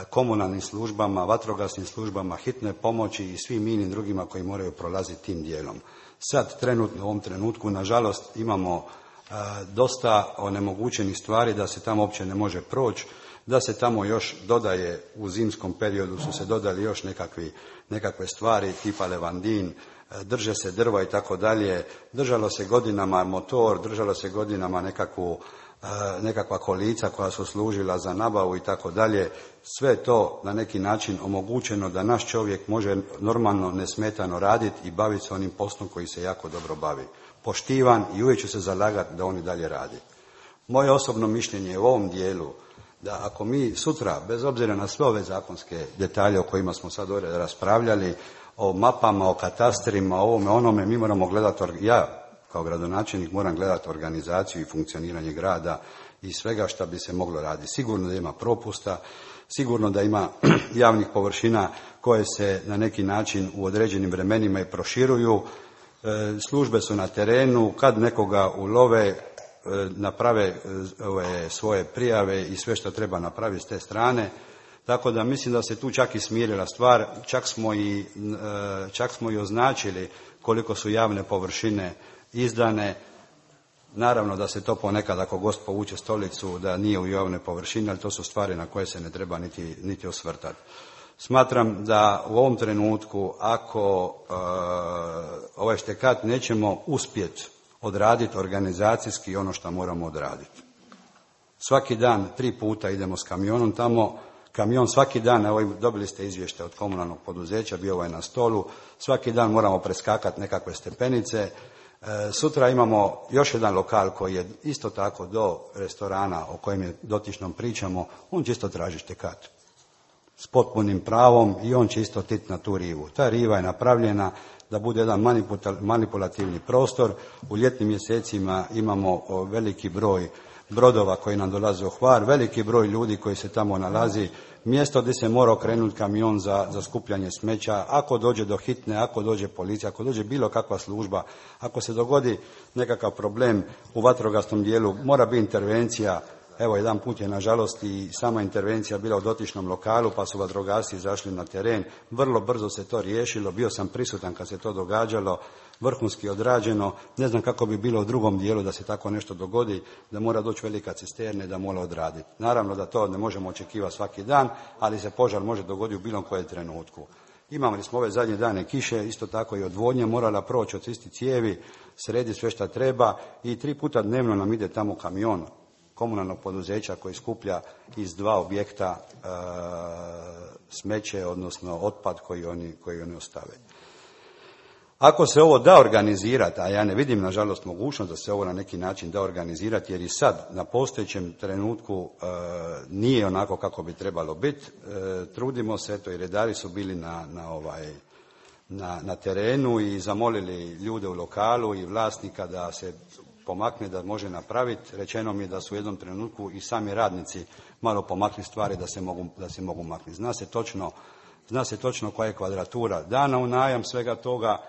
komunalnim službama, vatrogasnim službama, hitne pomoći i svim inim drugima koji moraju prolaziti tim dijelom. Sad, trenutno, u ovom trenutku, nažalost, imamo e, dosta onemogućenih stvari da se tamo uopće ne može proći, da se tamo još dodaje, u zimskom periodu su se dodali još nekakvi, nekakve stvari tipa levandin, e, drže se drva i tako dalje, držalo se godinama motor, držalo se godinama nekakvu nekakva kolica koja su služila za nabavu i tako dalje. Sve to na neki način omogućeno da naš čovjek može normalno, nesmetano raditi i baviti se onim poslom koji se jako dobro bavi. Poštivan i uvijek ću se zalagati da on i dalje radi. Moje osobno mišljenje je u ovom dijelu da ako mi sutra, bez obzira na sve ove zakonske detalje o kojima smo sad ovdje raspravljali, o mapama, o katastrima, o ovome, onome, mi moramo gledati, ja kao gradonačelnik moram gledati organizaciju i funkcioniranje grada i svega što bi se moglo raditi. Sigurno da ima propusta, sigurno da ima javnih površina koje se na neki način u određenim vremenima i proširuju. Službe su na terenu, kad nekoga ulove, naprave ove svoje prijave i sve što treba napraviti s te strane. Tako da mislim da se tu čak i smirila stvar, čak smo i, čak smo i označili koliko su javne površine izdane. Naravno da se to ponekad, ako gost povuče stolicu, da nije u javne površine, ali to su stvari na koje se ne treba niti, niti osvrtati. Smatram da u ovom trenutku, ako uh, ovaj štekat nećemo uspjeti odraditi organizacijski ono što moramo odraditi. Svaki dan, tri puta idemo s kamionom tamo, kamion svaki dan, evo dobili ste izvještaj od komunalnog poduzeća, bio ovaj na stolu, svaki dan moramo preskakati nekakve stepenice. E, sutra imamo još jedan lokal koji je isto tako do restorana o kojem je dotičnom pričamo, on će isto tražiti štekat s potpunim pravom i on će isto titi na tu rivu. Ta riva je napravljena da bude jedan manipulativni prostor. U ljetnim mjesecima imamo veliki broj brodova koji nam dolaze u Hvar, veliki broj ljudi koji se tamo nalazi, mjesto gdje se mora okrenuti kamion za, za skupljanje smeća, ako dođe do hitne, ako dođe policija, ako dođe bilo kakva služba, ako se dogodi nekakav problem u vatrogasnom dijelu, mora biti intervencija. Evo, jedan put je nažalost i sama intervencija bila u dotičnom lokalu, pa su vatrogasci izašli na teren. Vrlo brzo se to riješilo, bio sam prisutan kad se to događalo, vrhunski odrađeno. Ne znam kako bi bilo u drugom dijelu da se tako nešto dogodi, da mora doći velika cisterne, da mora odraditi. Naravno da to ne možemo očekivati svaki dan, ali se požar može dogoditi u bilo kojem trenutku. Imali smo ove zadnje dane kiše, isto tako i odvodnje, morala proći, očistiti cijevi, srediti sve šta treba i tri puta dnevno nam ide tamo kamion komunalnog poduzeća koji skuplja iz dva objekta e, smeće, odnosno otpad koji oni, koji oni ostave. Ako se ovo da organizirati, a ja ne vidim nažalost mogućnost da se ovo na neki način da organizirati, jer i sad na postojećem trenutku e, nije onako kako bi trebalo biti, e, trudimo se, eto i redari su bili na, na, ovaj, na, na terenu i zamolili ljude u lokalu i vlasnika da se pomakne, da može napraviti. Rečeno mi je da su u jednom trenutku i sami radnici malo pomakli stvari da se mogu, da se mogu maknuti. Zna se točno, zna se točno koja je kvadratura dana u najam svega toga.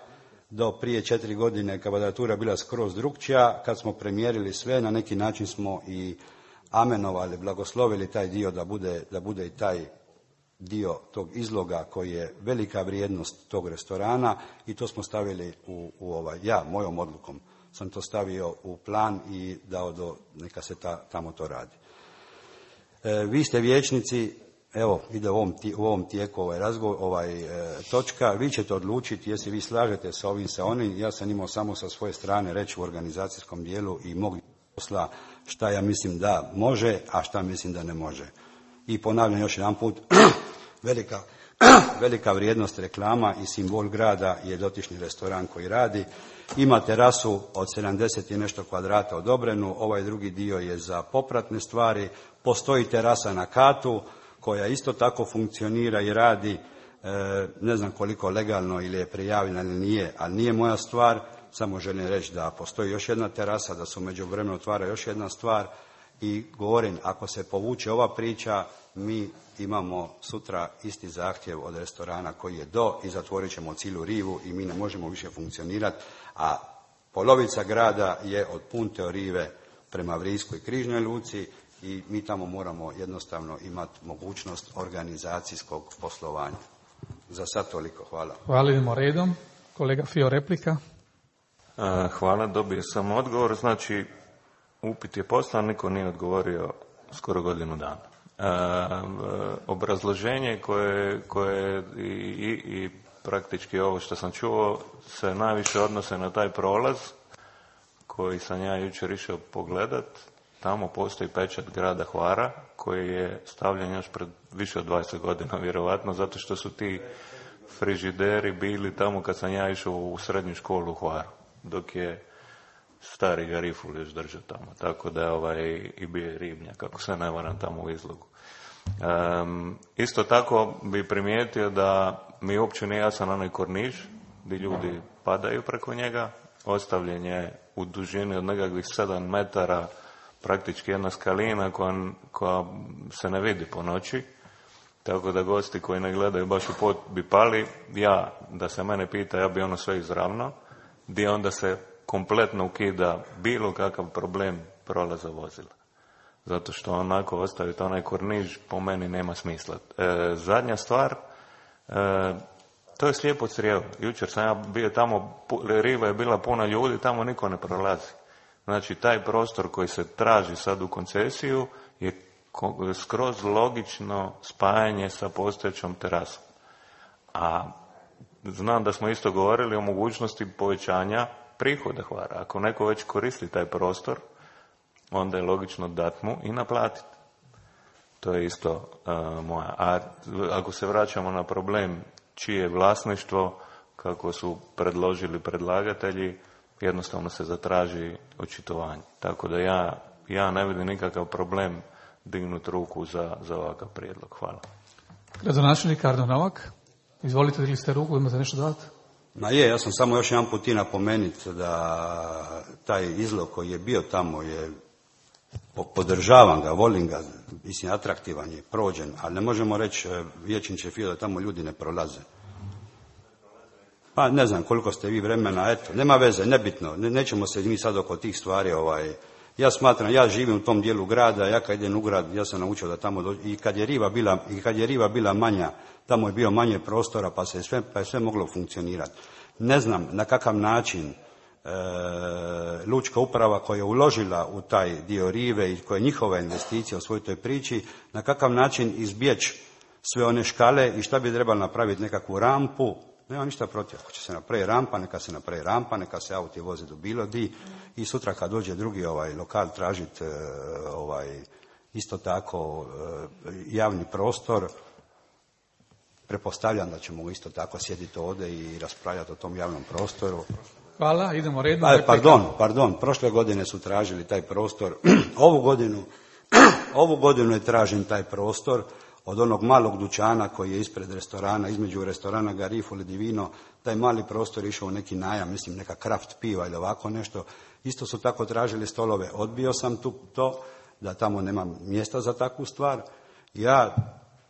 Do prije četiri godine kvadratura bila skroz drukčija. Kad smo premjerili sve, na neki način smo i amenovali, blagoslovili taj dio da bude, da bude i taj dio tog izloga koji je velika vrijednost tog restorana i to smo stavili u, u ovaj, ja, mojom odlukom sam to stavio u plan i dao do, neka se ta, tamo to radi. E, vi ste vijećnici, evo, ide u ovom, u ovom tijeku ovaj razgovor, ovaj e, točka, vi ćete odlučiti jesi vi slažete sa ovim, sa onim, ja sam imao samo sa svoje strane reći u organizacijskom dijelu i mog posla šta ja mislim da može, a šta mislim da ne može. I ponavljam još jedan put, velika, velika vrijednost reklama i simbol grada je dotični restoran koji radi. Ima terasu od sedamdeset i nešto kvadrata odobrenu, ovaj drugi dio je za popratne stvari, postoji terasa na katu koja isto tako funkcionira i radi, e, ne znam koliko legalno ili je prijavljena ili nije, ali nije moja stvar, samo želim reći da postoji još jedna terasa, da se u međuvremenu otvara još jedna stvar i govorim, ako se povuče ova priča, mi imamo sutra isti zahtjev od restorana koji je do i zatvorit ćemo cijelu rivu i mi ne možemo više funkcionirati, a polovica grada je od Punte Rive prema Vrijskoj križnoj luci i mi tamo moramo jednostavno imati mogućnost organizacijskog poslovanja. Za sad toliko, hvala. Hvala, idemo redom. Kolega Fio, replika. Hvala, dobio sam odgovor. Znači, upit je poslan, niko nije odgovorio skoro godinu dana. E, obrazloženje koje, koje i, i, i praktički ovo što sam čuo se najviše odnose na taj prolaz koji sam ja jučer išao pogledat tamo postoji pečat grada Hvara koji je stavljen još pred više od dvadeset godina vjerovatno, zato što su ti frižideri bili tamo kad sam ja išao u srednju školu u Hvaru, dok je stari Gariful još držao tamo, tako da je ovaj, i bio je ribnjak, kako se ne varam, tamo u izlogu. Um, isto tako bi primijetio da mi uopće nije jasan onaj korniž gdje ljudi padaju preko njega, ostavljen je u dužini od nekakvih sedam metara, praktički jedna skalina koja, koja se ne vidi po noći, tako da gosti koji ne gledaju baš u pot bi pali. Ja, da se mene pita, ja bi ono sve izravno, gdje onda se kompletno ukida bilo kakav problem prolaza vozila. Zato što onako ostaviti onaj korniž po meni nema smisla. E, zadnja stvar, e, to je slijepo crijevo. Jučer sam ja bio tamo, riva je bila puna ljudi, tamo niko ne prolazi. Znači, taj prostor koji se traži sad u koncesiju je skroz logično spajanje sa postojećom terasom. A znam da smo isto govorili o mogućnosti povećanja prihoda Hvara. Ako neko već koristi taj prostor, onda je logično dat mu i naplatiti. To je isto uh, moja. A ako se vraćamo na problem čije je vlasništvo, kako su predložili predlagatelji, jednostavno se zatraži očitovanje. Tako da ja, ja ne vidim nikakav problem dignuti ruku za, za ovakav prijedlog. Hvala. Gradonačelnik Ardo Novak, izvolite, digli ste ruku, imate nešto dodati? Ma je, ja sam samo još jedan put i napomenuti da taj izlog koji je bio tamo je, podržavam ga, volim ga, mislim, atraktivan je, prođen, ali ne možemo reći vijećniče Fio da tamo ljudi ne prolaze. Pa ne znam koliko ste vi vremena, eto, nema veze, nebitno, ne, nećemo se mi sad oko tih stvari, ovaj, ja smatram, ja živim u tom dijelu grada, ja kad idem u grad, ja sam naučio da tamo dođe, i kad je riva bila, i kad je riva bila manja, tamo je bio manje prostora, pa se sve, pa je sve moglo funkcionirati. Ne znam na kakav način e, lučka uprava koja je uložila u taj dio rive i koja je njihova investicija u svoj toj priči, na kakav način izbjeći sve one škale i šta bi trebalo napraviti, nekakvu rampu. Nema ništa protiv, ako će se napravi rampa, neka se napravi rampa, neka se auti voze do bilo di i sutra kad dođe drugi ovaj lokal tražiti ovaj, isto tako javni prostor, pretpostavljam da ćemo isto tako sjediti ovdje i raspravljati o tom javnom prostoru. Hvala, idemo redom. Aj, pardon, pardon, prošle godine su tražili taj prostor, ovu godinu, ovu godinu je tražen taj prostor od onog malog dućana koji je ispred restorana, između restorana Gariful i Divino, taj mali prostor išao u neki najam, mislim neka kraft piva ili ovako nešto. Isto su tako tražili stolove. Odbio sam tu to, da tamo nema mjesta za takvu stvar. Ja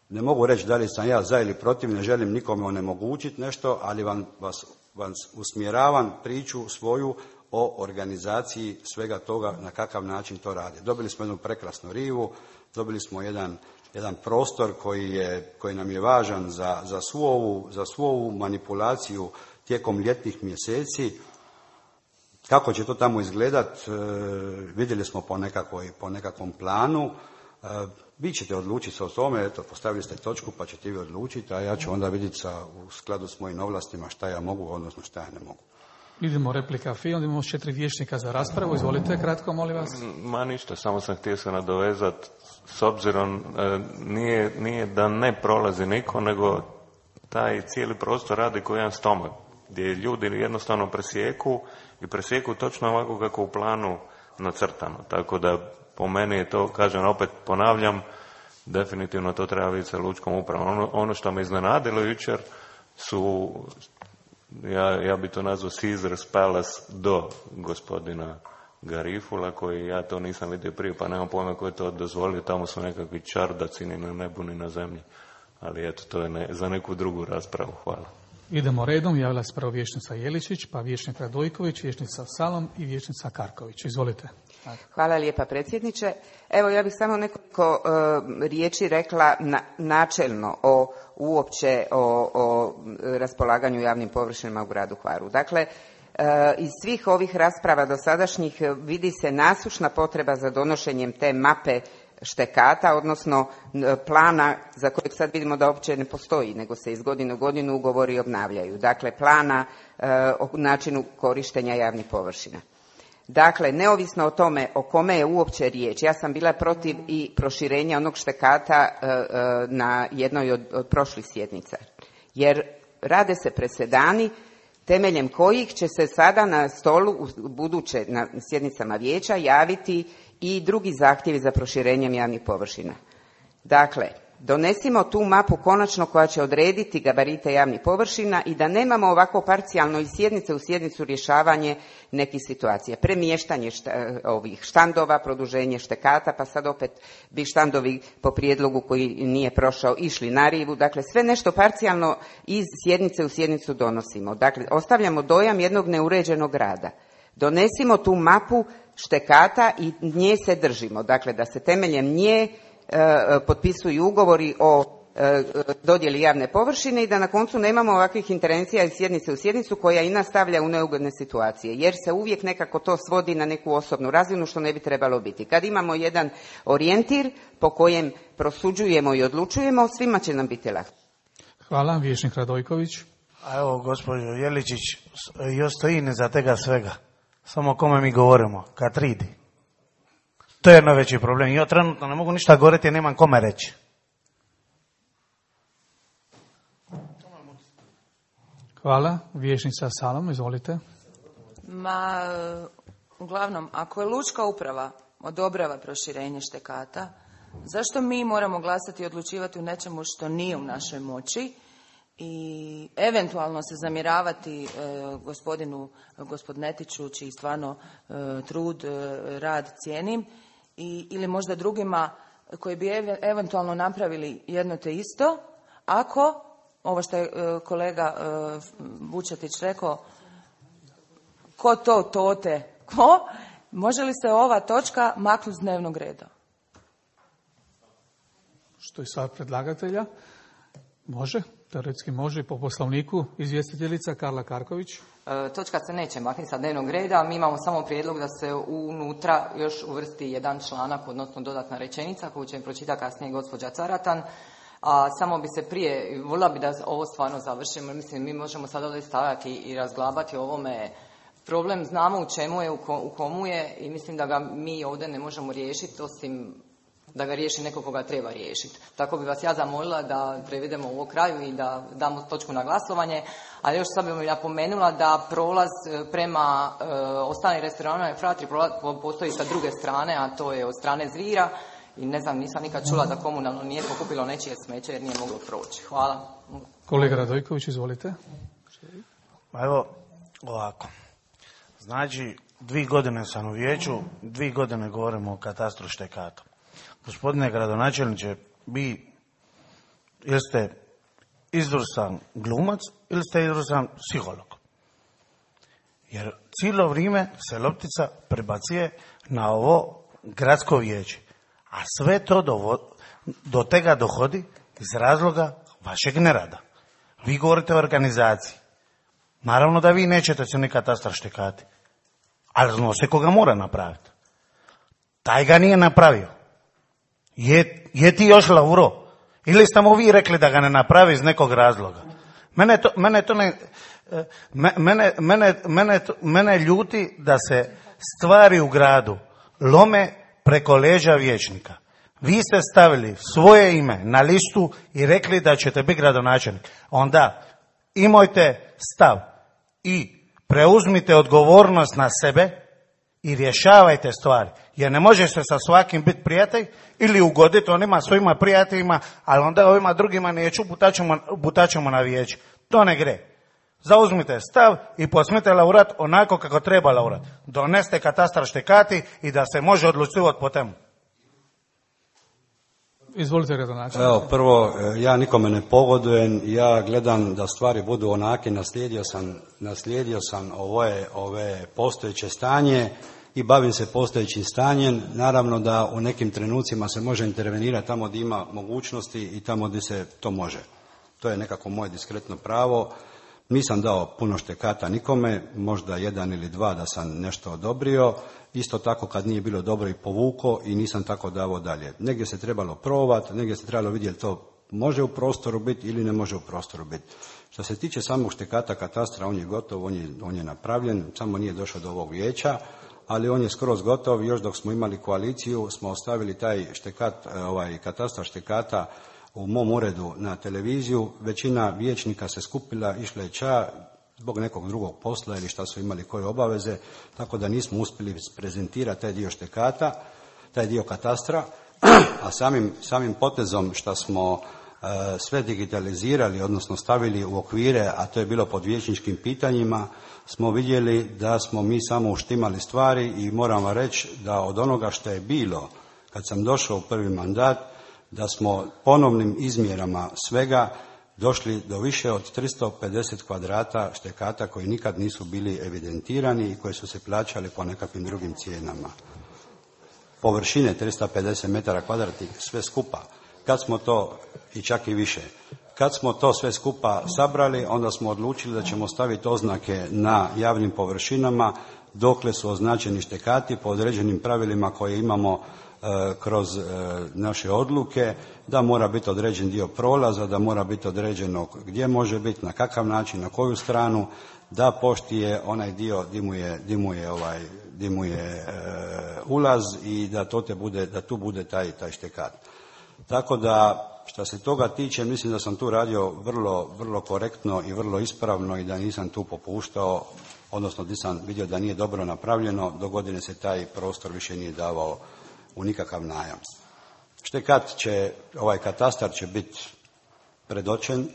ne mogu reći da li sam ja za ili protiv, ne želim nikome onemogućiti nešto, ali vam, vas, vas usmjeravam priču svoju o organizaciji svega toga, na kakav način to rade. Dobili smo jednu prekrasnu rivu, dobili smo jedan jedan prostor koji, je, koji nam je važan za, za, svu ovu, za svu ovu manipulaciju tijekom ljetnih mjeseci. Kako će to tamo izgledat, e, vidjeli smo po, nekakvoj, po nekakvom planu. E, vi ćete odlučiti se o tome, eto, postavili ste točku pa ćete vi odlučiti, a ja ću onda vidjeti sa, u skladu s mojim ovlastima šta ja mogu, odnosno šta ja ne mogu. Idemo replika Fi, onda imamo četiri vijećnika za raspravu. Izvolite, kratko, molim vas. Ma ništa, samo sam htio se nadovezati. S obzirom, e, nije, nije da ne prolazi niko, nego taj cijeli prostor radi kao jedan stomak, gdje ljudi jednostavno presjeku i presjeku točno ovako kako u planu nacrtano. Tako da po meni je to, kažem, opet ponavljam, definitivno to treba vidjeti sa lučkom upravom. Ono, ono što me iznenadilo jučer su, ja, ja bi to nazvao Caesar's Palace do gospodina Garifula, koji ja to nisam vidio prije, pa nemam pojma ko je to dozvolio, tamo su nekakvi čardaci ni na nebu ni na zemlji. Ali eto, to je ne, za neku drugu raspravu. Hvala. Idemo redom, javila se prvo vijećnica Jeličić, pa vijećnik Radojković, vijećnica Salom i vijećnica Karković. Izvolite. Hvala lijepa predsjedniče. Evo, ja bih samo nekoliko uh, riječi rekla na, načelno o uopće o, o raspolaganju javnim površinama u gradu Hvaru. Dakle, uh, iz svih ovih rasprava dosadašnjih vidi se nasušna potreba za donošenjem te mape štekata, odnosno plana za kojeg sad vidimo da uopće ne postoji, nego se iz godine u godinu ugovori obnavljaju. Dakle, plana uh, o načinu korištenja javnih površina. Dakle, neovisno o tome o kome je uopće riječ, ja sam bila protiv i proširenja onog štekata na jednoj od, od prošlih sjednica. Jer rade se presedani temeljem kojih će se sada na stolu u buduće na sjednicama vijeća javiti i drugi zahtjevi za proširenjem javnih površina. Dakle, donesimo tu mapu konačno koja će odrediti gabarite javnih površina i da nemamo ovako parcijalno iz sjednice u sjednicu rješavanje nekih situacija. Premještanje šta, ovih štandova, produženje štekata, pa sad opet bi štandovi po prijedlogu koji nije prošao išli na rivu. Dakle, sve nešto parcijalno iz sjednice u sjednicu donosimo. Dakle, ostavljamo dojam jednog neuređenog rada. Donesimo tu mapu štekata i nje se držimo. Dakle, da se temeljem nje potpisuju ugovori o dodjeli javne površine i da na koncu nemamo ovakvih intervencija iz sjednice u sjednicu koja i nas stavlja u neugodne situacije, jer se uvijek nekako to svodi na neku osobnu razinu što ne bi trebalo biti. Kad imamo jedan orijentir po kojem prosuđujemo i odlučujemo, svima će nam biti lako. Hvala, vijećnik Radojković. A evo, gospođo Jeličić, još stoji iza tega svega. Samo o kome mi govorimo, Katridi. To je najveći problem. Ja trenutno ne mogu ništa govoriti jer nemam kome reći. Hvala. Vijećnica Salom, izvolite. Ma, uglavnom, ako je lučka uprava odobrava proširenje štekata, zašto mi moramo glasati i odlučivati u nečemu što nije u našoj moći i eventualno se zamjeravati e, gospodinu Gospodnetiću, čiji stvarno e, trud, e, rad cijenim, i, ili možda drugima koji bi ev, eventualno napravili jedno te isto, ako, ovo što je e, kolega e, Vučetić rekao, ko to tote, ko, može li se ova točka maknuti s dnevnog reda? Što je sad predlagatelja? Može, teoretski može, po poslovniku. Izvjestiteljica Karla Karković. E, točka se neće maknuti sa dnevnog reda, mi imamo samo prijedlog da se unutra još uvrsti jedan članak, odnosno dodatna rečenica koju će pročitati kasnije gospođa Caratan. A samo bi se prije, voljela bi da ovo stvarno završimo, mislim mi možemo sad ovdje stavljati i razglabati o ovome. Problem znamo u čemu je, u komu je i mislim da ga mi ovdje ne možemo riješiti osim da ga riješi neko koga treba riješiti. Tako bi vas ja zamolila da prevedemo ovo kraju i da damo točku na glasovanje, a još sad bih mi napomenula da prolaz prema e, ostalim restoranima i Fratri postoji sa druge strane, a to je od strane Zvira i ne znam, nisam nikad čula da komunalno nije pokupilo nečije smeće jer nije moglo proći. Hvala. Kolega Radojković, izvolite. Pa evo, ovako. Znači, dvije godine sam u vijeću, dvije godine govorimo o katastru štekata. Gospodine gradonačelniče, vi ili ste izvrstan glumac ili ste izvrstan psiholog. Jer cijelo vrijeme se loptica prebacuje na ovo gradsko vijeće. A sve to do, do tega dohodi iz razloga vašeg nerada. Vi govorite o organizaciji. Naravno da vi nećete se ni katastar štekati. Ali zna se koga mora napraviti. Taj ga nije napravio. Je, je ti još Lauro? Ili ste mu vi rekli da ga ne napravi iz nekog razloga? Mene to, mene to ne... Mene, mene, mene, mene ljuti da se stvari u gradu lome preko leđa vijećnika. Vi ste stavili svoje ime na listu i rekli da ćete biti gradonačelnik. Onda imajte stav i preuzmite odgovornost na sebe i rješavajte stvari. Jer ne može se sa svakim biti prijatelj ili ugoditi onima svojima prijateljima, ali onda ovima drugima neću, butaćemo, butaćemo na vijeće. To ne gre. Zauzmite stav i posmite laurat onako kako treba laurat. Doneste katastar štekati i da se može odlučivati po temu. Izvolite, gradonačelnik. Evo, prvo, ja nikome ne pogodujem, ja gledam da stvari budu onake, naslijedio sam, naslijedio sam ove, ove postojeće stanje i bavim se postojećim stanjem. Naravno da u nekim trenucima se može intervenirati tamo gdje ima mogućnosti i tamo gdje se to može. To je nekako moje diskretno pravo. Nisam dao puno štekata nikome, možda jedan ili dva da sam nešto odobrio. Isto tako kad nije bilo dobro i povuko i nisam tako davao dalje. Negdje se trebalo probati, negdje se trebalo vidjeti to može u prostoru biti ili ne može u prostoru biti. Što se tiče samog štekata katastra, on je gotov, on je, on je napravljen, samo nije došao do ovog vijeća, ali on je skroz gotov. Još dok smo imali koaliciju smo ostavili taj štekat, ovaj katastar štekata u mom uredu na televiziju. Većina vijećnika se skupila, išla je ča zbog nekog drugog posla ili šta su imali koje obaveze, tako da nismo uspjeli prezentirati taj dio štekata, taj dio katastra, a samim, samim potezom što smo e, sve digitalizirali, odnosno stavili u okvire, a to je bilo pod vijećničkim pitanjima, smo vidjeli da smo mi samo uštimali stvari i moram vam reći da od onoga što je bilo kad sam došao u prvi mandat, da smo ponovnim izmjerama svega došli do više od tristo pedeset kvadrata štekata koji nikad nisu bili evidentirani i koji su se plaćali po nekakvim drugim cijenama. Površine tristo pedeset metara kvadratnih sve skupa. Kad smo to, i čak i više, kad smo to sve skupa sabrali, onda smo odlučili da ćemo staviti oznake na javnim površinama dokle su označeni štekati po određenim pravilima koje imamo kroz naše odluke, da mora biti određen dio prolaza, da mora biti određeno gdje može biti, na kakav način, na koju stranu, da poštije onaj dio di mu je, di mu je, ovaj, di mu je e, ulaz i da, to te bude, da tu bude taj, taj štekat. Tako da, što se toga tiče, mislim da sam tu radio vrlo, vrlo korektno i vrlo ispravno i da nisam tu popuštao, odnosno di sam vidio da nije dobro napravljeno, do godine se taj prostor više nije davao u nikakav najam. Štekat će, ovaj katastar će biti predočen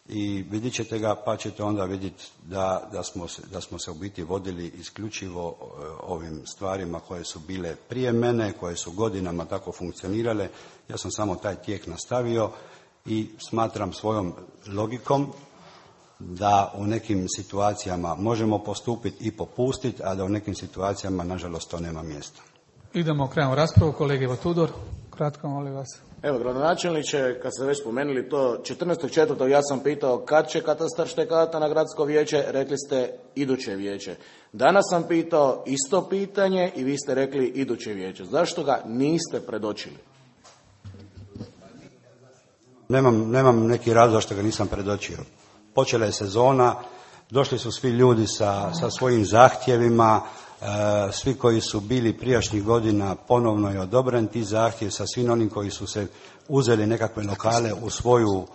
i vidjet ćete ga, pa ćete onda vidjeti da, da, smo se, da smo se u biti vodili isključivo ovim stvarima koje su bile prije mene, koje su godinama tako funkcionirale. Ja sam samo taj tijek nastavio i smatram svojom logikom da u nekim situacijama možemo postupiti i popustiti, a da u nekim situacijama, nažalost, to nema mjesta. Idemo krenemo raspravu. Kolege Ivo Tudor, kratko molim vas. Evo, gradonačelniče, kad ste već spomenuli to, četrnaestog četvrtog ja sam pitao kad će katastar štekata na gradsko vijeće, rekli ste iduće vijeće. Danas sam pitao isto pitanje i vi ste rekli iduće vijeće. Zašto ga niste predočili? Nemam, nemam neki razlog što ga nisam predočio. Počela je sezona, došli su svi ljudi sa, sa svojim zahtjevima, e, svi koji su bili prijašnjih godina ponovno je odobren ti zahtjev sa svim onim koji su se uzeli nekakve lokale u svoju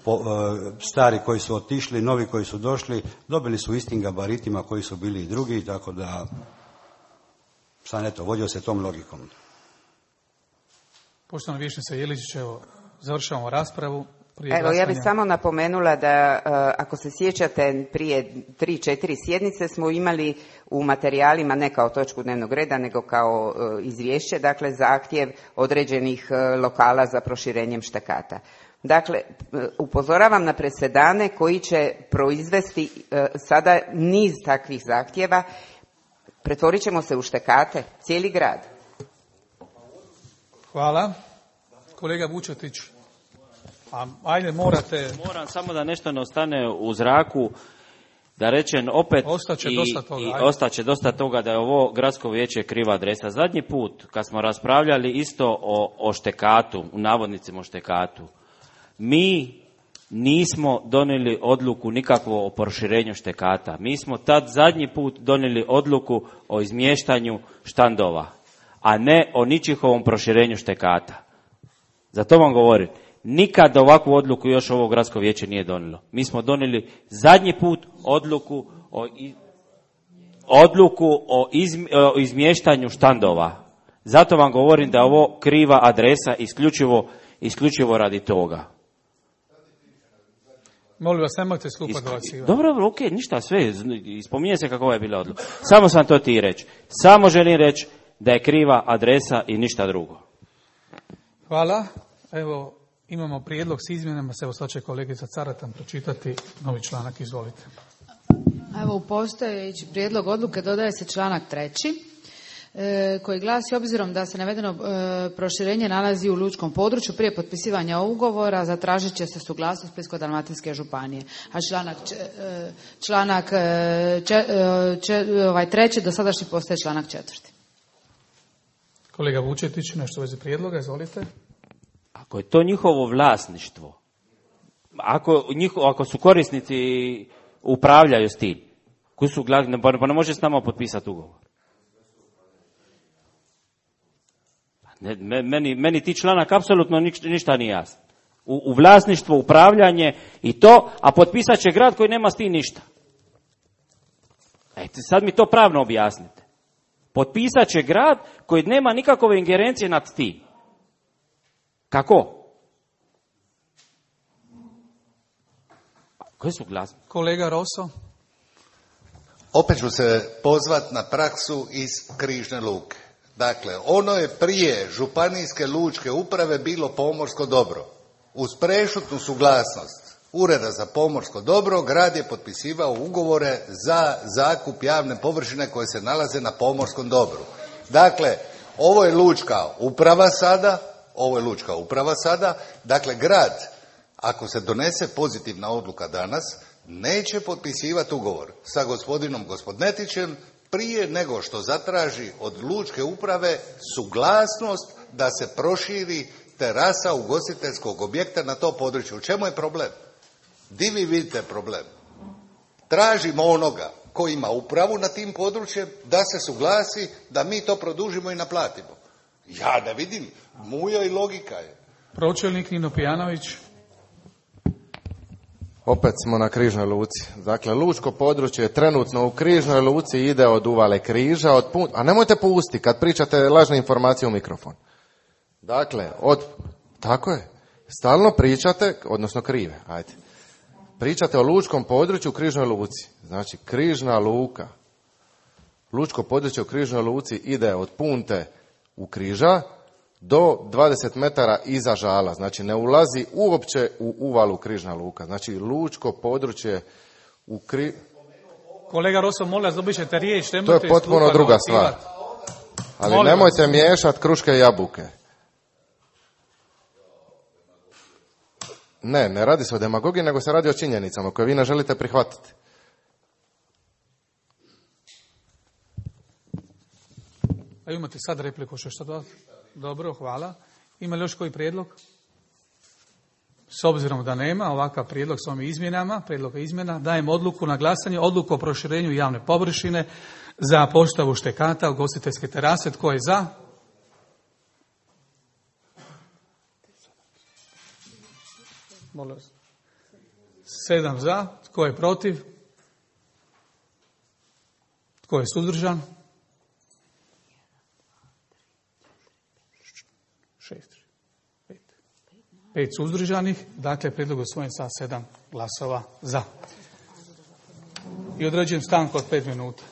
po, e, stari koji su otišli, novi koji su došli, dobili su istim gabaritima koji su bili i drugi, tako da sad eto, vodio se tom logikom. Poštovana vijećnica Jeličić, evo, završavamo raspravu. Evo, ja bih samo napomenula da, ako se sjećate, prije tri, četiri sjednice smo imali u materijalima, ne kao točku dnevnog reda, nego kao izvješće, dakle, zahtjev određenih lokala za proširenjem štekata. Dakle, upozoravam na presedane koji će proizvesti sada niz takvih zahtjeva. Pretvorit ćemo se u štekate, cijeli grad. Hvala. Kolega Vučetić. A, ajde, morate... Moram samo da nešto ne ostane u zraku, da rečem opet ostaće i, dosta toga, i ostaće dosta toga da je ovo gradsko vijeće kriva adresa. Zadnji put kad smo raspravljali isto o, o štekatu, u navodnicima o štekatu, mi nismo donijeli odluku nikakvo o proširenju štekata. Mi smo tad zadnji put donijeli odluku o izmještanju štandova, a ne o ničihovom proširenju štekata. Zato vam govorim. Nikad ovakvu odluku još ovo gradsko vijeće nije donijelo. Mi smo donijeli zadnji put odluku o, odluku o, izm, o izmještanju štandova. Zato vam govorim da je ovo kriva adresa isključivo, isključivo radi toga. Molim vas, nemojte skupa dobacivati. Dobro, dobro, ok, ništa, sve, spominje se kako je bila odluka. Samo sam to ti reći. Samo želim reći da je kriva adresa i ništa drugo. Hvala. Evo, imamo prijedlog s izmjenama, se evo sad će kolegica Caratan pročitati novi članak, izvolite. Evo, u postojeći prijedlog odluke dodaje se članak treći, e, koji glasi: obzirom da se navedeno e, proširenje nalazi u lučkom području, prije potpisivanja ugovora zatražit će se suglasnost Splitsko-dalmatinske županije. A članak, e, članak e, če, če, ovaj treći dosadašnji postaje članak četvrti. Kolega Vučetić, nešto u vezi prijedloga, izvolite. Ako je to njihovo vlasništvo, ako, njiho, ako su korisnici upravljaju s tim, koji su glavni, pa ne može s nama potpisati ugovor. Ne, meni, meni ti članak apsolutno ništa, ništa nije jasno. U, u vlasništvo, upravljanje i to, a potpisat će grad koji nema s tim ništa. Ejte, sad mi to pravno objasnite. Potpisat će grad koji nema nikakove ingerencije nad tim. Kako? Koje su glasne? Kolega Roso. Opet ću se pozvat na praksu iz Križne luke. Dakle, ono je prije županijske lučke uprave bilo pomorsko dobro. Uz prešutnu suglasnost Ureda za pomorsko dobro, grad je potpisivao ugovore za zakup javne površine koje se nalaze na pomorskom dobru. Dakle, ovo je lučka uprava sada, ovo je lučka uprava sada, dakle grad, ako se donese pozitivna odluka danas, neće potpisivati ugovor sa gospodinom Gospodnetićem prije nego što zatraži od lučke uprave suglasnost da se proširi terasa ugostiteljskog objekta na to područje. U čemu je problem? Di vi vidite problem? Tražimo onoga koji ima upravu na tim područjem da se suglasi da mi to produžimo i naplatimo. Ja ne vidim, mujo i logika je. Pročelnik Nino Pijanović. Opet smo na Križnoj luci. Dakle, lučko područje trenutno u Križnoj luci ide od uvale Križa, od pun... a nemojte pustiti kad pričate lažne informacije u mikrofon. Dakle, od... Tako je. Stalno pričate, odnosno krive, ajde. Pričate o lučkom području u Križnoj luci. Znači, Križna luka. Lučko područje u Križnoj luci ide od Punte u Križa do dvadeset metara iza Žala. Znači, ne ulazi uopće u uvalu Križna luka. Znači, lučko područje u Kri... Kolega Roso, molim vas, dobit ćete riječ. To je potpuno druga stvar. Ali molim nemojte vas miješati kruške i jabuke. Ne, ne radi se o demagogiji, nego se radi o činjenicama koje vi ne želite prihvatiti. A imate sad repliku, što što dodati? Dobro, hvala. Ima li još koji prijedlog? S obzirom da nema, ovakav prijedlog s ovim izmjenama, prijedloga izmjena, dajem odluku na glasanje, odluku o proširenju javne površine za postavu štekata ugostiteljske terase. Tko je za? Sedam za. Tko je protiv? Tko je suzdržan? Šest. Pet. Pet suzdržanih. Dakle, prijedlog usvojen sa sedam glasova za. I određujem stanku od pet minuta.